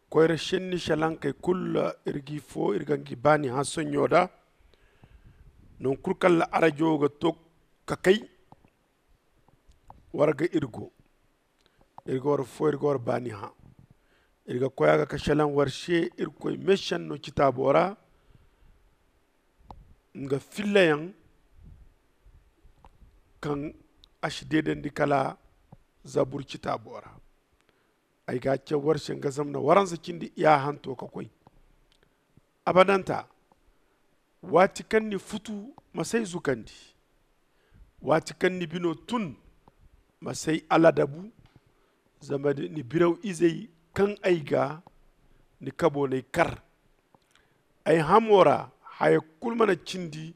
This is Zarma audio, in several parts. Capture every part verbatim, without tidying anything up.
Koyra senni salankey kulu, iri g'i foo iri ga ngi baani hã sonɲo da. Noŋ kulu kaŋ ra arajo ga to ka kay, war ga iri go. Iri ga war foo iri ga war baani hã. Iri ga koy a ga ka salaŋ war se irkoy meesenno citaabo ra, nga fillayaŋ kaŋ a si deedandi kala zabur citaabo ra. Ay ga a caw war se nga zama na waransa cindi yaahanto ka koy. Abadanta, waati kaŋ ni futu, ma s'ay zukandi. Waati kaŋ ni bino tun, ma s'ay aladabu. Zama ni biraw izey kaŋ ay ga ni kabo n'ay kar. Ay hamo ra haya kulu mana cindi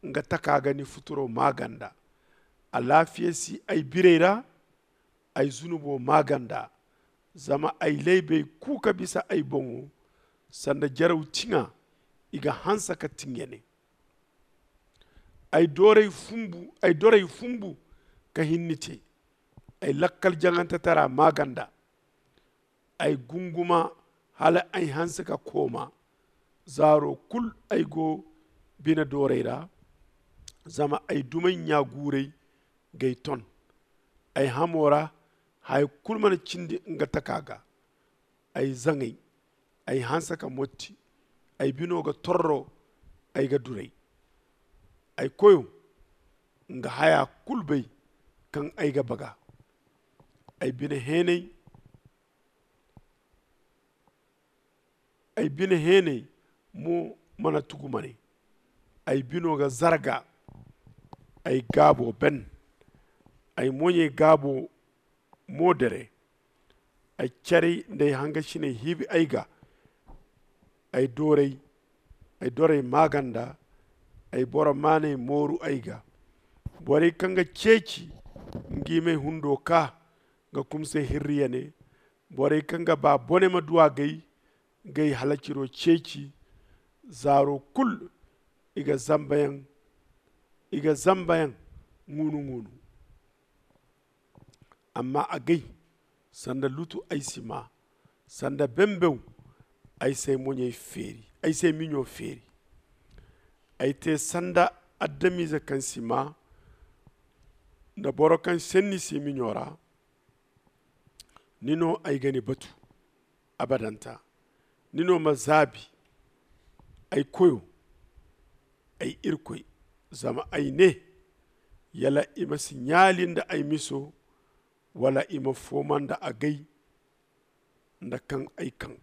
nga taka ga ni futuro maaganda. Alaafiya si ay birey ra, ay zunubo maaganda. Zama ay laybey ku ka bisa ay boŋo, sanda jaraw tiŋa i ga hanse ka tiŋ ya ne. Ay dorey fumbu ka hinni te. Ay lakkal jaŋantetara maaganda. Ay gunguma hala ay hanse ka kooma. Zaaro kulu ay go bine doorey ra. Zama ay dumey ɲa guurey g'ay ton. Ay hamo ra haya kulu mana cindi nga taka ga. Ay zaŋay, ay hanse ka motti. Ay bino ga torro, ay ga duray. Ay koyo, nga haya kulu bay kaŋ ay ga baga. Ay bine heenay ay bine heenay mo mana tugu mane. Ay bino ga zarga. Ay gaabo ben. Ay moɲey gaabo mo dere. Ay caray nda ay hangasiney hiibi ay ga. Ay dorey maaganda. Ay boro maaney mooru ay ga. Borey kaŋ ga ceeci ngi m'ay hundo ka ga kumsay hirri ya ne. Borey kaŋ ga ba bone ma du a gay. G'ay halaciro ceeci. Zaaro kulu i ga zambayaŋ i ga zambayaŋ ŋuunu-ŋuunu. Amma agay, sanda lutu ay si maa. Sanda bembew ay s'ay miɲo feeri. Ay te sanda adamize kaŋ si maa, nda boro kaŋ senni si miɲo ra. Ni no ay ga ni batu abadanta. Ni no ma zaabi, ay koyo, ay irkoy. Zama ay ne, yala i ma si ɲaali nda ay miso, wala i ma fooma nda agay nda kaŋ ay kaŋ.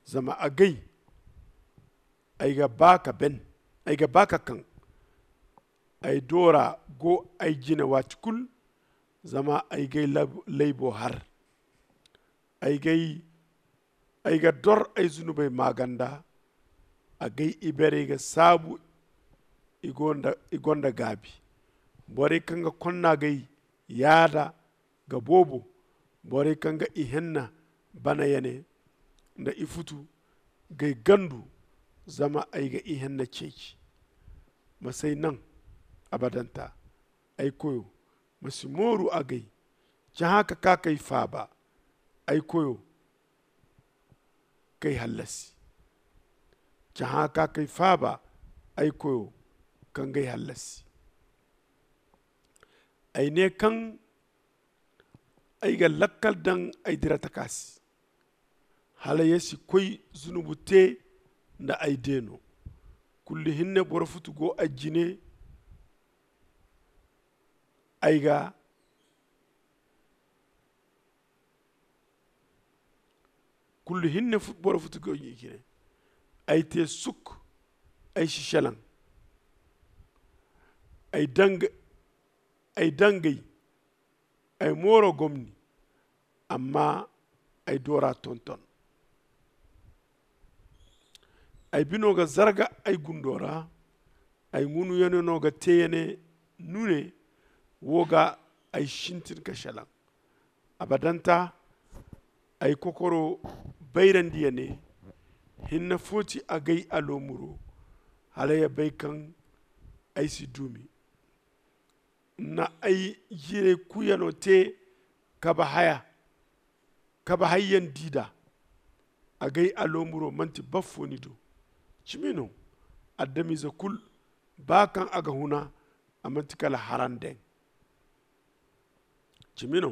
Zama agay, ay ga ba ka ben. Ay ga ba ka kaŋ. Ay doora go ay jine waati kulu. Zama ay g'ay laybo har. Ay ga dor ay zunubey maaganda. Agay iberey ga saabu. I gonda gaabi. Borey kaŋ ga konna g'ay yaada ga boobo. Borey kaŋ ga ihenna bana ya ne nda ifutu g'ay gandu. Zama ay ga ihenna ceeci. Ma s'ay naŋ abadanta. Ay koyo, ma si mooru agay. Cahã ka kaa k'ay faaba. Ay koyo, k'ay hallasi. Cahã ka kaa k'ay faaba. Ay koyo, ka ngey hallasi. Ay ne kaŋ ay ga lakkal daŋ ay dira taka se. Hala ya si koy zunubu te nda ay deeno. Kullu hinne boro futu go ay jine. Ay ga kullu hinne boro futu go ay jine. Ay te suk. Ay si selaŋ. Ay dangay. Ay mooro gomni. Amma ay doora tonton. Ay bino ga zarga ay gundo ra. Ay ŋunuyaŋo no ga te ya ne. Nune wo ga ay sintin ka selaŋ. Abadanta ay kokoro bayrandi ya ne. Hinne fo ti agay aloomuro. Hala ya bay kaŋ ay si duumi. Na ay jiirey kuuyano te. Kabe haya kabe hayyaŋ di da. agay aloomuro man'ti baffo ni do. Cimi no, adamize kul, ba kaŋ a ga huna, a man'ti kala harandeŋ. Cimi no,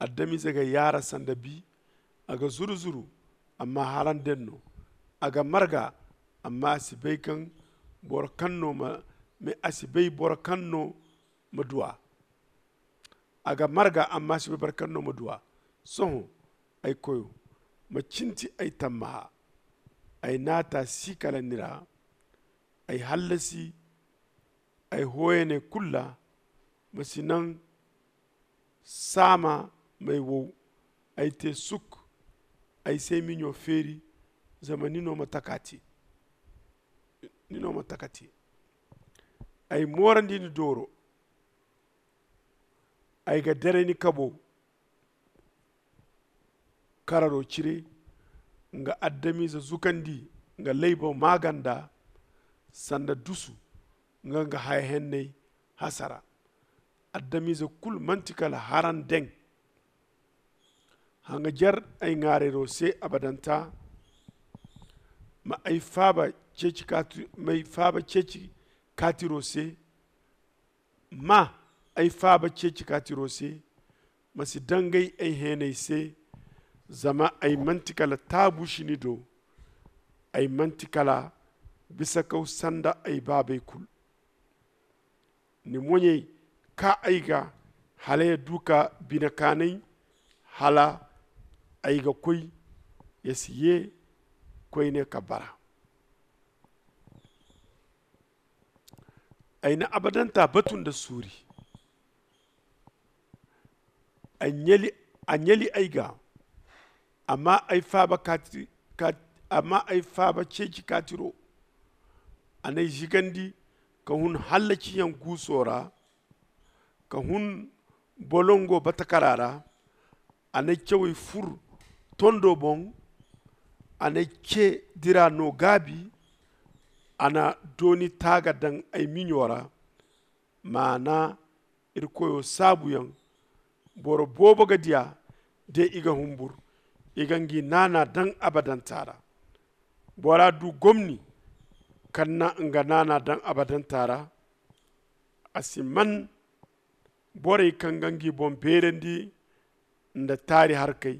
adamize ga yaara sanda bi. A ga zuru-zuru, amma harandeŋ no. A ga marga, amma a si bay kaŋ boro kaŋ no ma a si bay boro kaŋ no ma du a. A ga marga, amma a si bay boro kaŋ no ma du a. Sohõ, ay koyo, ma cinti ay tammaha. Ay naata si kala ni ra. Ay hallasi ay hooyaney kulu ra. Ma si naŋ saama m'ay wow. Ay te suk, ay s'ay miɲo feeri, zama ni no ma taka te. Ni no ma taka te. Ay moorandi ni dooro. Ay ga daray ni kabo kararo cire. Nga adamize zukandi nga laybo maaganda sanda dusu nga nga haya henney hasara. Adamize kulu manti kala harandeŋ. Haŋajer ay ŋaarayro se abadanta. Ma ay faaba ceeci kaati ma ay faaba ceeci kaatiro se. Ma ay faaba ceeci kaatiro se. Ma si dangay ay heenay se. Zama ay manti kala taabuusi ni do. Ay manti kala bisakaw sanda ay baabey kulu. Ni moɲey kaa ay ga hala ya du ka bine kaanay. Hala ay ga koy ya si ye koyne ka bara. Ay na abadanta batu nda suuri. A ɲali ay ga. Amma ay faaba ceeci kaatiro. A n'ay zigandi ka hun hallaciyaŋ guuso ra. Ka hun bolongo batakara ra. A n'ay cawey fur tondo boŋ. A n'ay ce dira no gaabi. A na dooni taaga daŋ ay miɲo ra. Maana irkoyo saabuyaŋ. Boro boobo ga diya de i ga humbur. I ga ngi naana daŋ abadanta ra. Bora du gomni kaŋ na nga naana daŋ abadanta ra. A si man borey kaŋ ga ngi boŋ beerandi nda taari harkey.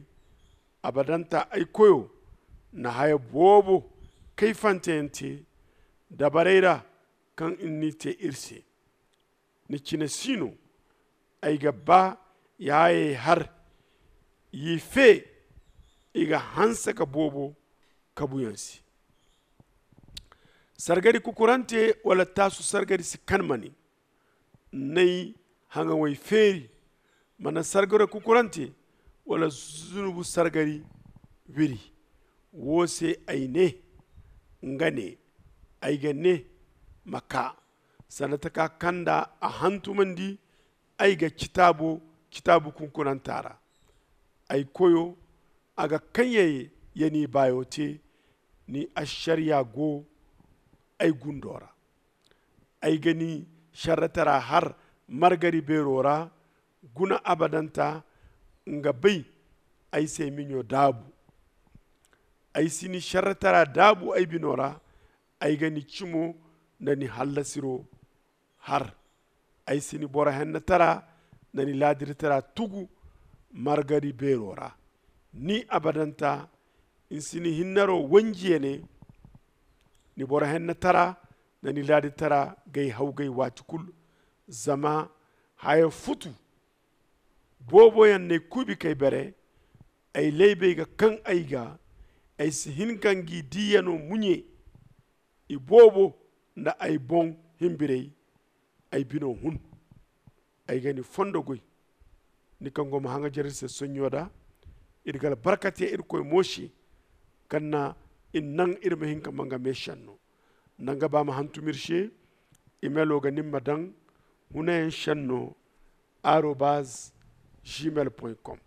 Abadanta ay koyo na haya boobo kayfanteyaŋ te dabarey ra kaŋ ni te iri se. Ni cine si no. Ay ga ba yaayey har yi fe. I ga hanse ka boobo kabuyaŋ se. Sargari kukurante wala taasu sargari si kan ma ne n'ay haŋawey feeri. Mana sargari kukurante wala zunubu sargari wiri. Wo se ay ne nga ne ay ga ne ma kaa sanda taka kaŋ nda a hantumandi. Ay ga citaabo citaabu kunkunanta ra. Ay koyo, a ga kaŋ ya ni baayo te. Ni ašariya go ay gundo ra. Ay ga ni šerretara har margari beero ra. Guna abadanta nga bay ay se miɲo daabu. Ay si ni šerretara daabu ay bino ra. Ay ga ni cimo nda ni hallasiro har. Ay si ni boro hennetara nda ni laadirtara tugu margari beero ra. Ni abadanta ni si ni hinnaro wanji ya ne. Ni boro hennetara nda ni laadirtara g'ay hawgay waati kulu. Zama haya futu booboyaŋ n'ay kuubi k'ay bere. Ay laybey ga kaŋ ay ga. Ay si hin ka ngi diiyano muɲe. Iboobo nda ay boŋ himbirey. Ay bino hun. Ay ga ni fondo goy. Ni kaŋ go ma haŋajer iri se sonɲo da. Iri ga albarka te irkoy mo se kaŋ na iri naŋ iri ma hin ka manga me senno. Nda nga ba ma hantum iri se. Imelo ga nin ma daŋ hunayaŋ senno arobaz gmail point com.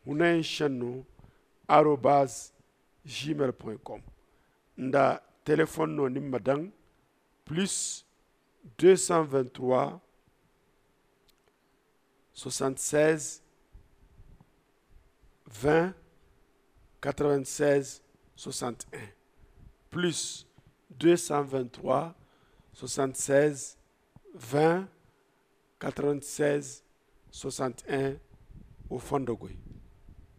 Hunayaŋ senno arobaz gmail point com. Nda telefon no ni ma daŋ plus deux cent vingt-trois soixante-seize vingt quatre-vingt-seize soixante et un, plus deux cent vingt-trois soixante-seize vingt quatre-vingt-seize soixante et un. Wo fondo goy.